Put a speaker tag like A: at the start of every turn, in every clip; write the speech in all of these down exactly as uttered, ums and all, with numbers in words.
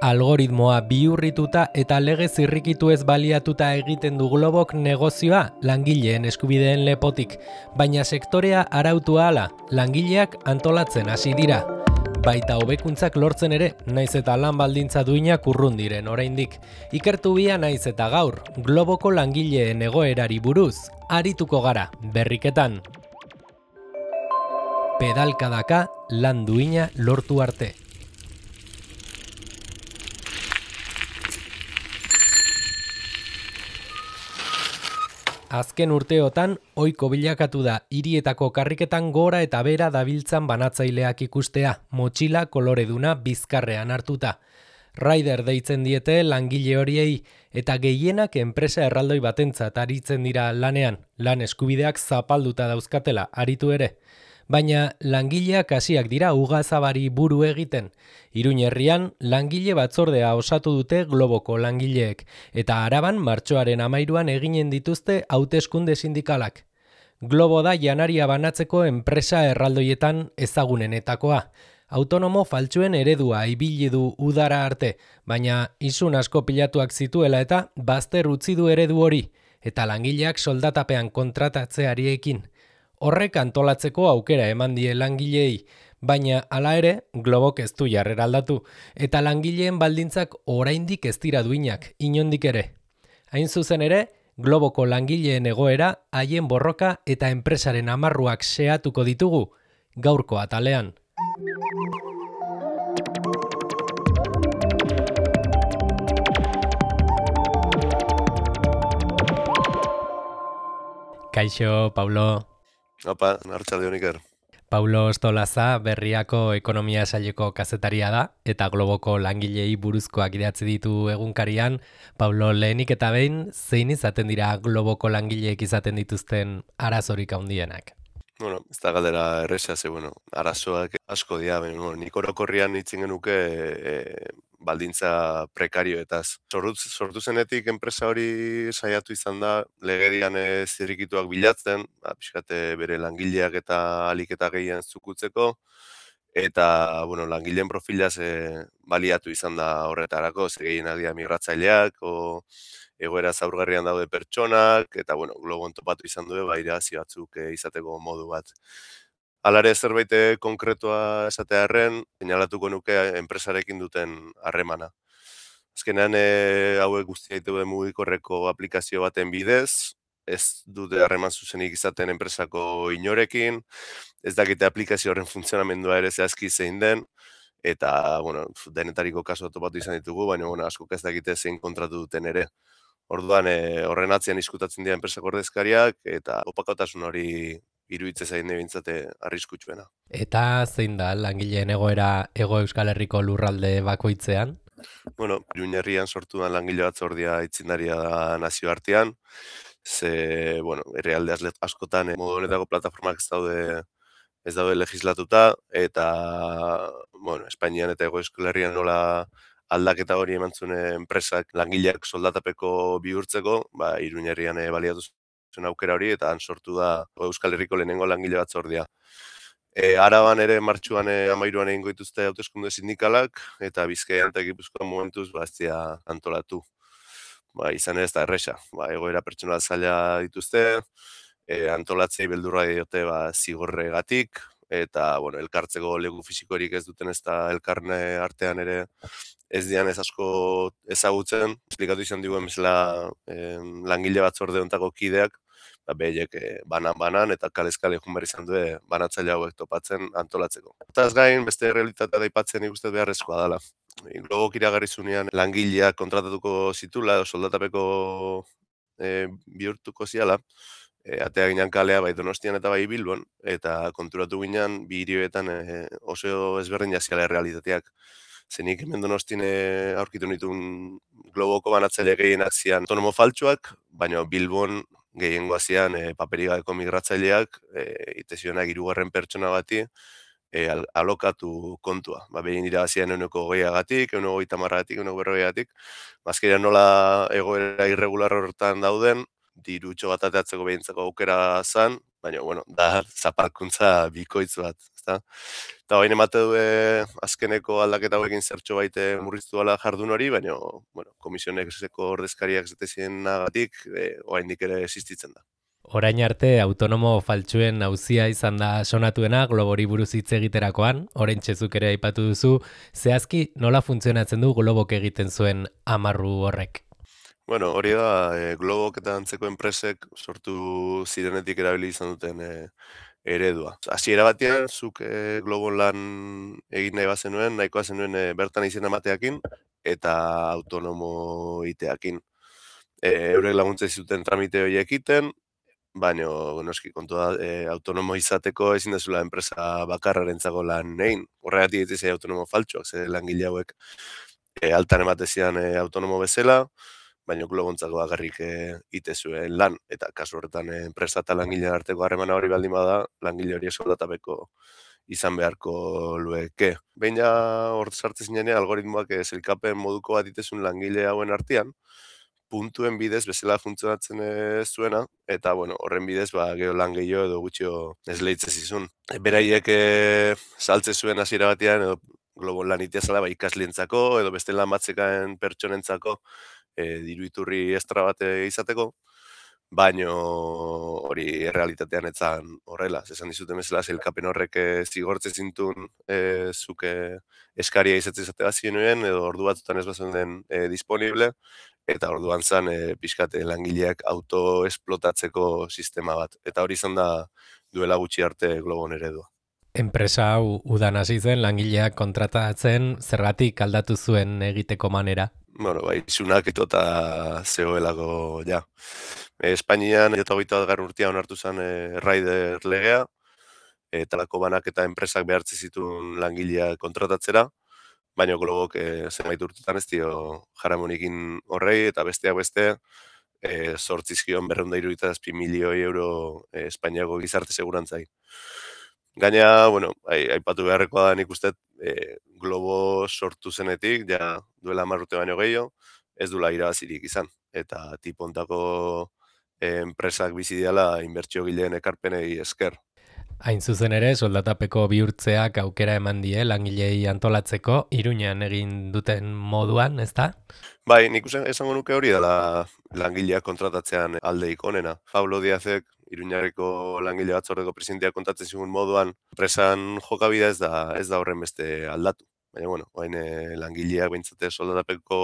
A: Algoritmoa bihurrituta eta lege zirrikitu ez baliatuta egiten du Globok negozioa langileen eskubideen lepotik, baina sektorea arautu ahala, langileak antolatzen hasi dira. Baita hobekuntzak lortzen ere, naiz eta lan baldintza duinak urrun diren oraindik. Ikertu bia naiz eta gaur, Globoko langileen egoerari buruz, arituko gara, berriketan. Pedalkadaka lan duina lortu arte. Azken urteotan, ohiko bilakatu da hirietako karriketan gora eta bera dabiltzan banatzaileak ikustea, motxila koloreduna bizkarrean hartuta. Rider deitzen diete langile horiei, eta gehienak enpresa erraldoi batentzat aritzen dira lanean, lan eskubideak zapalduta dauzkatela, aritu ere. Baina langileak hasiak dira ugazabari buru egiten. Iruin herrian langile batzordea osatu dute Globoko langileek, eta Araban martxoaren hamairuan eginen dituzte hauteskunde sindikalak. Globo da janaria banatzeko enpresa erraldoietan ezagunenetakoa. Autonomo faltsuen eredua ibili du udara arte, baina isun asko pilatuak zituela eta bazter utzi du eredu hori, eta langileak soldatapean kontratatzeari ekin. Horrek antolatzeko aukera eman die langileei, baina hala ere Globok ez du jarrera aldatu, eta langileen baldintzak oraindik ez dira duinak, inondik ere. Hain zuzen ere, Globoko langileen egoera, haien borroka eta enpresaren amarruak xehatuko ditugu, gaurko atalean. Kaixo, Paulo.
B: Opa, arratsaldeon Iker.
A: Paulo Ostolaza Berriako ekonomia saileko kazetaria da eta Globoko langilei buruzkoak idatzi ditu egunkarian. Paulo, lehenik eta behin, zein izaten dira Globoko langileek izaten dituzten arazorik handienak?
B: Bueno, ez da galdera erresa, ze, bueno, arazoak asko dira, bueno, nik orokorrian hitzen genuke e, baldintza prekarioetaz. Sortu, sortu zenetik enpresa hori saiatu izan da, legedian e, zirrikituak bilatzen, ba, pixkate bere langileak eta alik eta gehien zukutzeko, eta, bueno, langileen profilaz e, baliatu izan da horretarako, ze gehienak dira migratzaileak, o egoera zaurgarrian daude pertsonak, eta, bueno, Globon topatu izan du, ba, irabazi batzuk e, izateko modu bat. Halare zerbait konkretua esatearren, seinalatuko nuke enpresarekin duten harremana. Azkenean e, hauek guztia ditu mugikorreko aplikazio baten bidez, ez dute harreman zuzenik izaten enpresako inorekin, ez dakite aplikazio horren funtzionamendua ere zehazki zein den, eta, bueno, denetariko kasu topatu izan ditugu, baina, bueno, askok ez dakite zein kontratu duten ere. Orduan, e, horren atzean izkutatzen dira enpresako ordezkariak, eta opakotasun hori iruditzen zain nebintzate arriskutsuena.
A: Eta zein da langileen egoera Hego Euskal Herriko lurralde bakoitzean?
B: Bueno, Iruin herrian sortu da langile batzordia aitzindaria da nazioartean, ze, bueno, herrialde askotan e, modu honetako plataformak ez daude ez daude legislatuta, eta, bueno, Espainian eta Hego Euskal Herrian nola aldaketa hori eman zuen enpresak langileak soldatapeko bihurtzeko, ba, Iruin herrian e, baliatu zuen aukera hori, eta han sortu da Euskal Herriko lehenengo langile batzordia. E, Araban ere martxuan e, amairuan egingo dituzte hauteskunde sindikalak, eta Bizkaian eta Gipuzkoan momentuz ba, ez dira antolatu. Ba, izan ere ez da erresa. Ba, egoera pertsonal zaila dituzte, e, antolatzei beldurra diote ba, zigorregatik, eta, bueno, elkartzeko leku fisikorik ez duten ez da elkarne artean ere ez dian ez asko ezagutzen. Esplikatu izan diguen bezala eh, langile batzorde hontako kideak, ba, behiek eh, banan-banan eta kalez-kale joan behar izan du banatzaile hauek topatzen antolatzeko. Eta ez gain, beste realitatea daipatzen ikusten beharrezkoa dela. Globok iragarri zunean langileak kontratatuko zitula, soldatapeko eh, bihurtuko ziala, E, atea ginen kalea bai Donostian eta bai Bilbon, eta konturatu ginen bi hirietan e, oso ezberdin jaziala realitateak. Zenik hemen Donostin e, aurkitu nituen Globoko banatzaile gehienak zian autonomo faltsuak, baina Bilbon gehiengoa zian e, paperi gabeko migratzaileak, e, ite zionak hirugarren pertsona bati e, al, alokatu kontua. Ba, behin irabazian euneko gehiagatik, euneko goita marragatik, euneko berrogeiagatik. Bazkeria nola egoera irregular horretan dauden, dirutxo bat ateatzeko behintzako aukera zan, baina, bueno, da zapalkuntza bikoitz bat. ezta? Eta baina emate du e, azkeneko aldaketa hauekin zertxo baite murriztu ala jardun hori, baina bueno, komisionek ordezkariak zetezienagatik e, oraindik ere existitzen da.
A: Orain arte autonomo faltsuen auzia izan da sonatuena Globori buruz hitz egiterakoan, orain txezuk ere aipatu duzu, zehazki nola funtzionatzen du Globok egiten zuen amarru horrek?
B: Bueno, hori da, e, Globok eta antzeko enpresek sortu zirenetik erabili izan duten e, eredua. Hasiera batean, zuk e, Globon lan egin nahi bazenuen, nahikoa zenuen e, bertan izena emateakin eta autonomo iteakin. E, eurek laguntza zuten tramite horiek egiten, baina noski kontua da, e, autonomo izateko ezin dezula enpresa bakarrarentzako lan egin. Horregatik ez autonomo faltsuak, ze langile hauek e, altan ematezian e, autonomo bezala, baina globontzako bakarrik e, ite zuen lan, eta kasu horretan e, enpresa eta langilean arteko harremana hori baldin bada, langile hori soldatapeko izan beharko lueke. Behin ja hor sartzen zinean, algoritmoak e, zelkapen moduko bat itezun langile hauen artean, puntuen bidez bezala funtzionatzen ez zuena, eta bueno, horren bidez ba, geho lan gehiago edo gutxio esleitze zizun. Beraiek e, saltze zuen hasiera batean, edo globon lan itea zela, ba, ikaslientzako, edo beste lan batzekaen pertsonentzako, e, diru iturri estra bat izateko, baino hori errealitatean etzan horrela. Esan dizuten bezala, zelkapen horrek e, zigortze zintun e, zuke eskaria izatzen izate bat zienuen, edo ordu batzutan ez bazen den e, disponible, eta orduan zan e, pixkate langileak autoesplotatzeko sistema bat. Eta hori izan da duela gutxi arte Globon eredua.
A: Enpresa hau udan hasi zen langileak kontratatzen zergatik aldatu zuen egiteko manera.
B: Bueno, bai, isunak eto eta zegoelako, ja. E, Espainian, eta hogeita bat garrun urtean onartu zen e, Rider legea, eta lako banak eta enpresak behartze zituen langileak kontratatzera, baina Globok e, zenbait urtetan ez dio jaramonikin horrei, eta besteak beste, e, sortzizkion berreunda iruditas pi milioi euro e, Espainiako gizarte segurantzai. Gaina, bueno, aipatu beharrekoa da nik uste, e, Globo sortu zenetik, ja duela hamar urte baino gehiago, ez duela irabazirik izan. Eta tipontako e, enpresak bizi diala inbertsio gileen ekarpenei esker.
A: Hain zuzen ere, soldatapeko bihurtzeak aukera eman die langilei antolatzeko, Iruñean egin duten moduan, ezta?
B: Bai, nik uste esango nuke hori dela langileak kontratatzean aldeik onena. Pablo Díazek, Iruñarreko langile batzordeko presidenteak kontatzen zigun moduan, enpresan jokabidea ez da ez da horren beste aldatu. Baina, bueno, hain e, langileak behintzate soldatapeko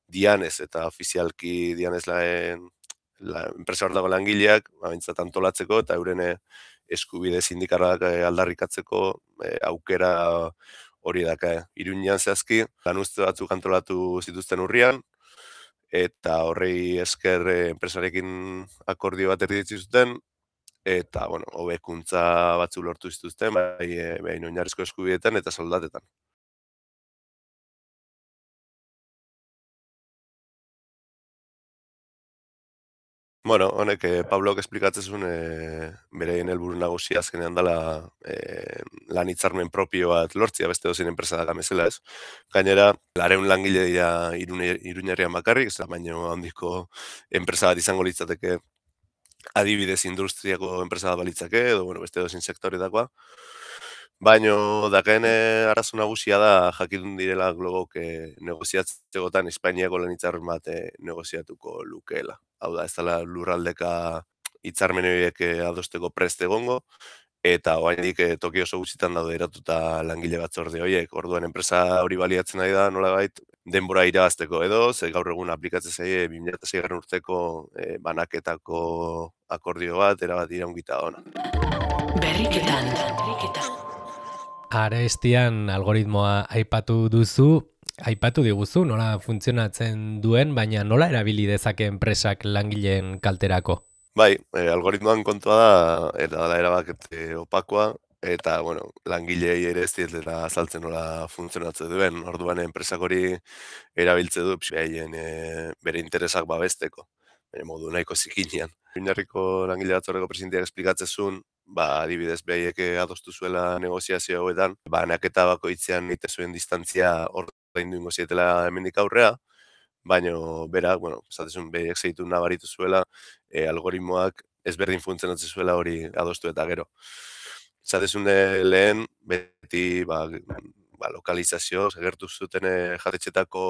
B: dianez eta ofizialki dianez laen la, enpresa hor dago langileak, behintzat antolatzeko eta euren eskubide sindikalak aldarrikatzeko e, aukera hori daka. Iruñean zehazki, lan uste batzuk antolatu zituzten urrian, eta horrei esker e, enpresarekin akordio bat erditzi zuten, eta, bueno, hobekuntza batzu lortu zituzten, bai, e, bai oinarrizko eskubideetan eta soldatetan. Bueno, honek, eh, Pablok esplikatzen zuen e, bereien helburu nagusia azkenean dela e, lan hitzarmen propio bat lortzia beste dozein enpresa da gamezela, ez? Gainera, lareun langile dira Iruñerrian bakarrik, ez da baino handiko enpresa bat izango litzateke adibidez industriako enpresa bat balitzake, edo bueno, beste dozein sektoretakoa. Baino, dakaen arazo nagusia da jakitun direla Globok e, negoziatzegotan Espainiako lan hitzarmen bat e, negoziatuko lukeela. Hau da, ez dela lurraldeka hitzarmen horiek adosteko prest egongo, eta oraindik e, toki oso gutxitan daude eratuta langile batzorde horiek. Orduan enpresa hori baliatzen ari da nolabait denbora irabazteko edo, ze gaur egun aplikatzen zaie bi mila seigarren urteko e, banaketako akordio bat erabat iraungita ona.
A: Berriketan. Arestian algoritmoa aipatu duzu, aipatu diguzu nola funtzionatzen duen, baina nola erabili dezake enpresak langileen kalterako?
B: Bai, e, algoritmoan kontua da, era da erabakete opakoa, eta, bueno, langilei ere ez dietela azaltzen nola funtzionatzen duen. Orduan enpresak hori erabiltze du, behien e, bere interesak babesteko, bere modu nahiko zikinean. Iruñerriko langile batzordeko presidenteak esplikatzen zuen, ba, adibidez behiek adostu zuela negoziazio hauetan, banaketa bakoitzean ite zuen distantzia ordaindu ingo zietela hemendik aurrea, baina berak, bueno, esatezun behiek zeitu nabaritu zuela, e, algoritmoak ezberdin funtzionatzen zuela hori adostu eta gero. zatezune lehen, beti ba, ba, lokalizazio, segertu zuten jatetxetako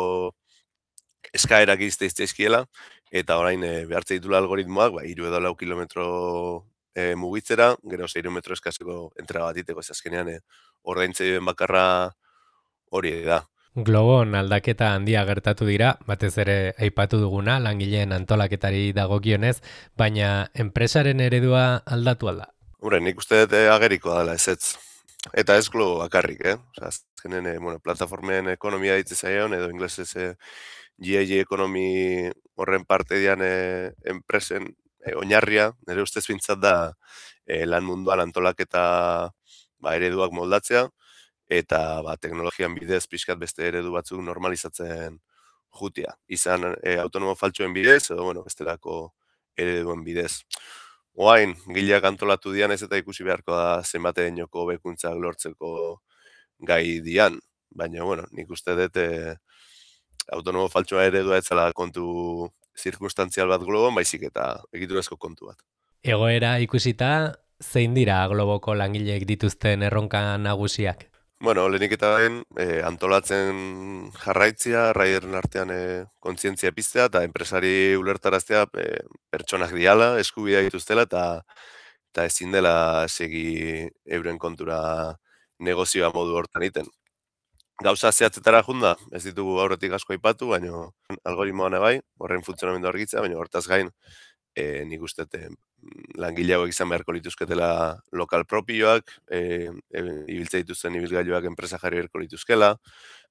B: eskaerak izteizteizkiela, eta orain e, behartze ditula algoritmoak, ba, iru edo lau kilometro e, mugitzera, gero zeiru metro eskazeko entrada bat iteko, ez azkenean e, ordaintze bakarra hori da.
A: Globon aldaketa handia gertatu dira, batez ere aipatu duguna, langileen antolaketari dagokionez, baina enpresaren eredua aldatu alda.
B: Hore, nik uste dut ageriko dela ezetz. Eta ez Globo bakarrik, eh? Osa, azkenen, e, bueno, plataformen ekonomia ditze zaion, edo inglesez e, G I G ekonomi horren parte dian e, enpresen e, oinarria, nire ustez bintzat da e, lan munduan antolaketa ba, ereduak moldatzea, eta ba, teknologian bidez pixkat beste eredu batzuk normalizatzen jutia. Izan e, autonomo faltsuen bidez, edo bueno, bestelako ereduen bidez. Oain, gileak antolatu dian ez eta ikusi beharko da zenbateen joko bekuntzak lortzeko gai dian. Baina, bueno, nik uste dut e, autonomo faltsua eredua ez zela kontu zirkunstantzial bat Globon, baizik eta egiturazko kontu bat.
A: Egoera ikusita, zein dira Globoko langileek dituzten erronka nagusiak?
B: Bueno, lehenik eta den, e, antolatzen jarraitzia, raideren artean e, kontzientzia piztea, eta enpresari ulertaraztea e, pertsonak diala, eskubidea dituztela, eta, eta ezin dela segi euren kontura negozioa modu hortan iten. Gauza zehatzetara junda, ez ditugu aurretik asko aipatu, baina algoritmoan bai, horren funtzionamendu argitzea, baina hortaz gain, e, nik uste langileagoak izan beharko lituzketela lokal propioak, e, e, ibiltze dituzten ibilgailuak enpresa jarri beharko lituzkela,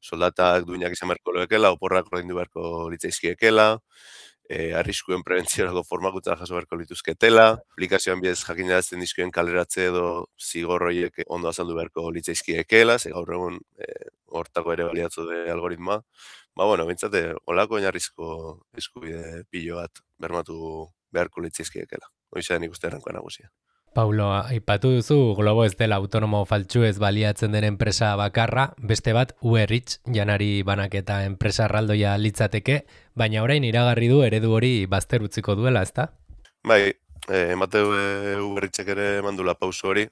B: soldatak duinak izan beharko loekela, oporrak ordaindu beharko litzaizkiekela, e, arriskuen prebentziorako formakuntza jaso beharko lituzketela, aplikazioan bidez jakinarazten dizkioen kaleratze edo zigor horiek ondo azaldu beharko litzaizkiekela, ze gaur egun e, hortako ere baliatzu de algoritmoa. Ba, bueno, bintzate, olako oinarrizko eskubide pilo bat bermatu beharko litzaizkiekela. Hoiza nik uste errankoa nagusia.
A: Paulo, aipatu duzu, Globo ez dela autonomo faltsu ez baliatzen den enpresa bakarra, beste bat Uberrich, janari banaketa enpresa erraldoia litzateke, baina orain iragarri du eredu hori bazter utziko duela, ezta?
B: Bai, e, emate Uberrichek ere mandula pauso hori,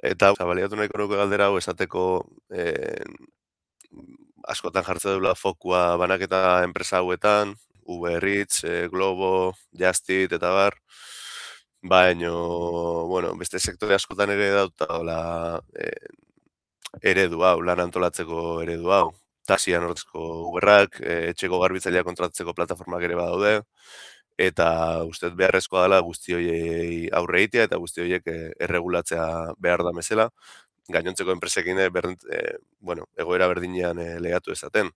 B: eta baliatu nahiko nuke galdera hau esateko e, askotan jartze dula fokua banaketa enpresa hauetan, Uberrich, e, Globo, Justit eta bar, baina, bueno, beste sektore askotan ere dautela e, eredu hau, lan antolatzeko eredu hau. Taxian hortzeko Uberrak, e, etxeko garbitzailea kontratzeko plataformak ere badaude, eta uste beharrezkoa dela guzti horiei aurre egitea eta guzti horiek e, erregulatzea behar da mesela, gainontzeko enpresekin e, bueno, egoera berdinean e, legatu ezaten.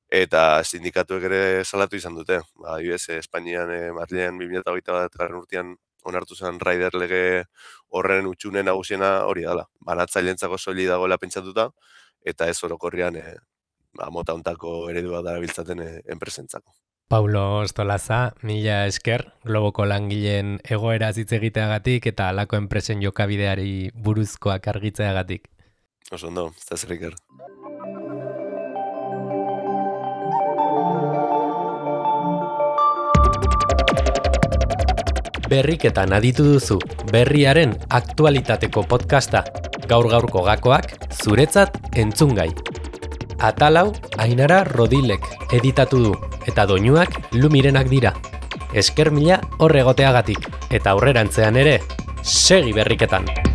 B: Eta sindikatuek ere salatu izan dute. Ba, adibidez, Espainian, e, Madrilen bi mila hogeita bat garren urtean onartu zen rider lege horren utxune nagusiena hori dela. Banatzailentzako soili dagoela pentsatuta, eta ez orokorrian e, ba, mota hontako eredua darabiltzaten e, enpresentzako.
A: Paulo Ostolaza, mila esker, Globoko langileen egoera hitz egiteagatik eta halako enpresen jokabideari buruzkoak argitzeagatik.
B: Oso ondo, ez da zer iker.
A: Berriketan aditu duzu, berriaren aktualitateko podcasta, gaur-gaurko gakoak, zuretzat entzungai. Atalau, Ainara Rodilek editatu du, eta doinuak Lumirenak dira. Esker mila horregoteagatik, eta aurrerantzean ere, segi berriketan!